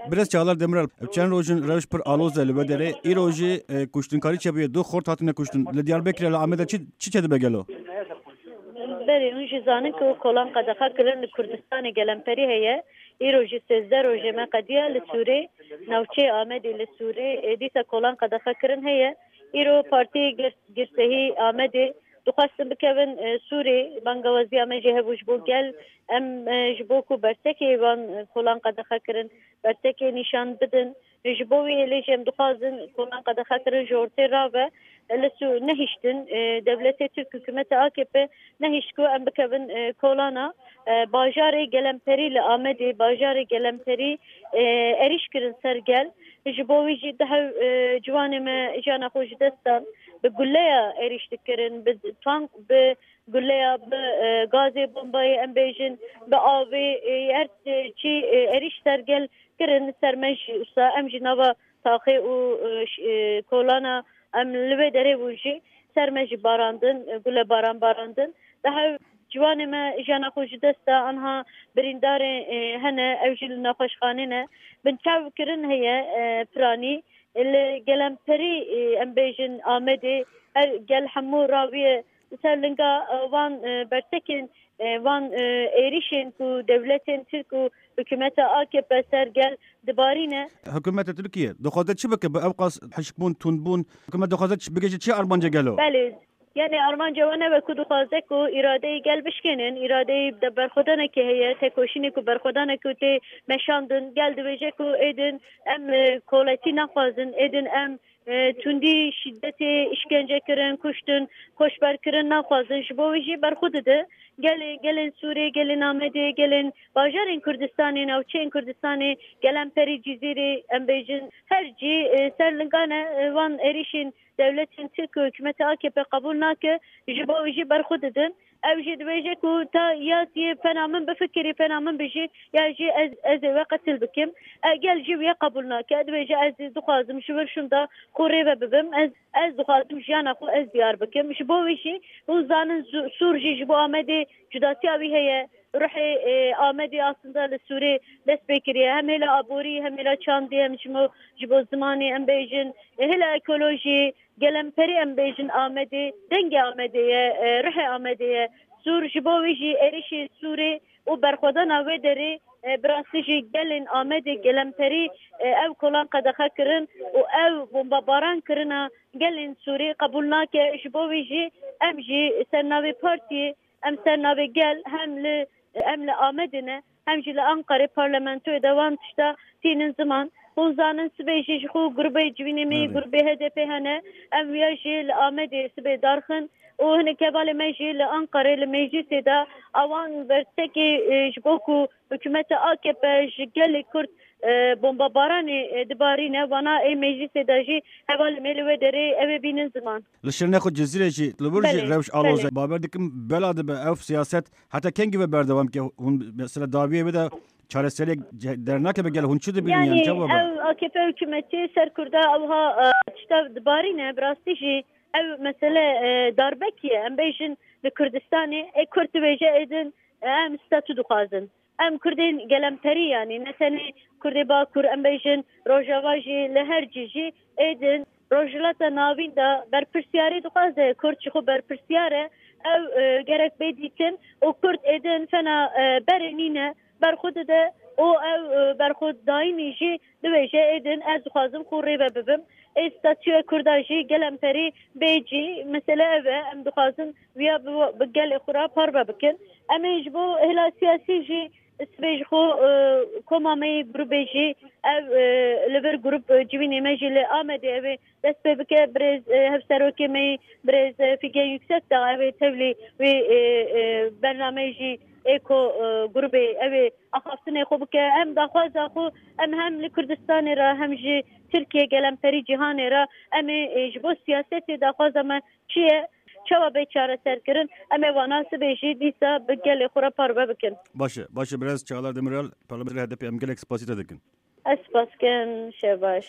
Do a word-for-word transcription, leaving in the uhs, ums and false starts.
Birêz Çağlar Demirel, ev çend roj in rewş pir aloz e li wê derê. Îro jî, e, kuştinkarî çêbûye, du xort hatine kuştin. Li Diyarbekirê, li Amedê çi, çi çêdibe gelo? Berê, hûn jî zanin ku kolan qedexe kirin li Kurdistanê gelemperî heye. Îro jî sêzdeh rojê me qediya li Sûrê, navçeyê Amedê li Sûrê, e, dîsa kolan qedexe kirin heye. Îro partiyê gir-, girsehî Amedê dixwestin bikevin, e, Sûrê, bangawaziya me jî hebû ji bo gel. Em, e, ji bo ku bertekê van, e, kolan qedexe kirin, bertekê nîşan bidin. Ji bo wî hêlê jî em dixwazin kolan qedexe kirin ji ortê rave. Li Sû-, nehiştin, e, dewletê Tirk, hikûmeta A K P nehişt ku em bikevin, e, kolana, e, bajarê gelemperî li Amedê, bajarê gelemperî, e, êrîş kirin ser gel. Ji bo wî jî dihew, e, ciwanê me jiyana xwe ji dest dan. Bi guleya êrîş dikirin, bi tank, bi guleya, bi, e, gazê bombayê, em bêjin, bi avê, e, her, e, çî, e, êrîş ser gel kirin, ser me jî wisa em jî nava taxê û, e, ş-, e, kolana em li wê derê bûn jî ser me jî barandin, e, gule baran barandin. Daha ciwanê me jiyana xwe ji dest da, anha birîndarê, e, hene, ew jî li nexweşxanê ne. Binçav kirin heye, e, piranî. Li gelemperî, e, em bêjin Amedê, her gel hemû raviye ser linga, e, van, e, bertekên, e, van, e, êrîşên ku dewletên Tirk û hikûmeta A K P ser gel dibarîne. Hikûmeta Tirkiye dixwaze çi bike bi ew qas hişkbûn, tundbûn? Hikûmet dixwaze çi, bigihîje çi armanca gelo? Belê, yani armanca we ne wek ku dixwaze ku îradeyê gel bişkênin, îradeyê de berxwedanekê heye, tekoşînê ku berxwedanek ku tê meşandin, gel dibêje ku êdin em, e, koletî naxwazin, êdin em, e, tundî, şîdetê, îşkence kirin, kuştin, koçber kirin naxwazin. Ji bo wî jî berxwe dide. Gelê, gelên Sûrê, gelên Amedê, gelên bajarên Kurdistanê, navçeyên Kurdistanê, gelemperî Cizîrê, em bêjin, her cî, e, ser linga ne, e, van êrîşên dewletên Tirk û hikûmeta A K P qebûl nake, ji bo wî jî berxwe didin. Ew jî dibêje ku ta ya tiyê fena min bifikirî, fena min bijî, ya jî ez, ez ê we qetil bikim. E, gel jî wê qebûl nake. Dibêje ez dixwazim ji vir şûnda xwe rê ve bibim. Ez, ez dixwazim jiyana xwe ez diyar bikim. Ji bo wî jî hûn zanin Zu-, Sûr jî ji bo Amedê cudatiya wî heye. Ruhê, e, Amedê aslında li Sûrê dest pê kiriye. Hem hêla aborî, hem hêla çandî, hem ji bo, ji bo zimanê em bêjin. E, hêla ekolojî, gelemperî em bêjin Amedê, dengê Amedê ye, e, ruhê Amedê ye. Sûr ji bo wî jî êrişê Sûrê û berxwedana wê derê, e, bi rastî jî gelên Amedê gelemperî, e, ev kolan qedexe kirin û ev bombabaran kirina gelên Sûrê qebûl nake. Ji bo wî jî em jî ser navê partiyê, em ser navê gel hem li, em li Amedê ne, hem jî li Anqarê parlamentoyê de wan tişta tînin ziman. Hûn zanin sibê jî ji xwe grûbê civînê me yê, Belê. grûbê H D P hene. Em wiya jî li Amedê sibê darxin û hinek hevalê me jî li Anqarê li meclîsê de a wan bertekê, e, ji bo ku hikûmeta A K P ji gelê Kurd, e, bombabaranê, e, dibarîne, vana ê meclîsê de jî hevalê me li wê derê ew ê bînin ziman. Li şirînê xwe Cizîrê jî li wir jî Belê, rewş aloz e. belê. Bawer dikim bela dibe ev siyaset heta kengî ve berdewam ke hûn mesela dawiyê wê de çareseriyek ce-, dernakeve gel hûn çi dibînin yan Yani çawa be? ev A K P hikûmetî ser Kurda ewha, e, tişta dibarîne, bi rastî jî ev mesele, e, darbekî ye. Em bêjin li Kurdistanê, ê Kurd dibêje êdin, e, em statû dixwazin. Em Kurdên gelemperî, yanî ne tenê Kurdê Bakur, em bêjin Rojava jî, li her cî jî êdin Rojhilata Navîn de berpirsiyarî dixwaze. Kurd ji xwe berpirsiyar e. Ew, e, gerek bê dîtin û Kurd êdin fena, e, berê nîne, berxwe dide û ew, e, berxwedayînî jî dibêje êdin ez dixwazim xwe rê ve bibim. Ê statûya Kurda jî gelemperî bê cî. Mesele ev e. Em dixwazin wiya bi, bi gelê xwe re parve bikin. Em ê ji bo hêla siyasî jî sibê ji xwe, e, koma me yê grûbê jî ev, e, li vir grûp, e, civînê me jî li Amedê ew ê dest pê bike. Birêz, e, hevserokê me yê birêz, e, Fîgen Yüksekdağ ew ê tevlî wê, e, e, bernameyê jî ê ku, e, grûbê ew ê axaftinê xwe bike. Em daxwaza xwe em hem li Kurdistanê re hem jî Tirkiye gelemperî cîhanê re em ê, e, ji bo siyasetê daxwaza me çi ye? Çawa bê çareserkirin? Em ê wana sibê jî dîsa bi gelê xwe re parve bikin. Baş e, baş e, birêz Çağlar Demirel, parlamenterê H D P, em gelek spasî te dikin. Ez spas dikim, şev baş.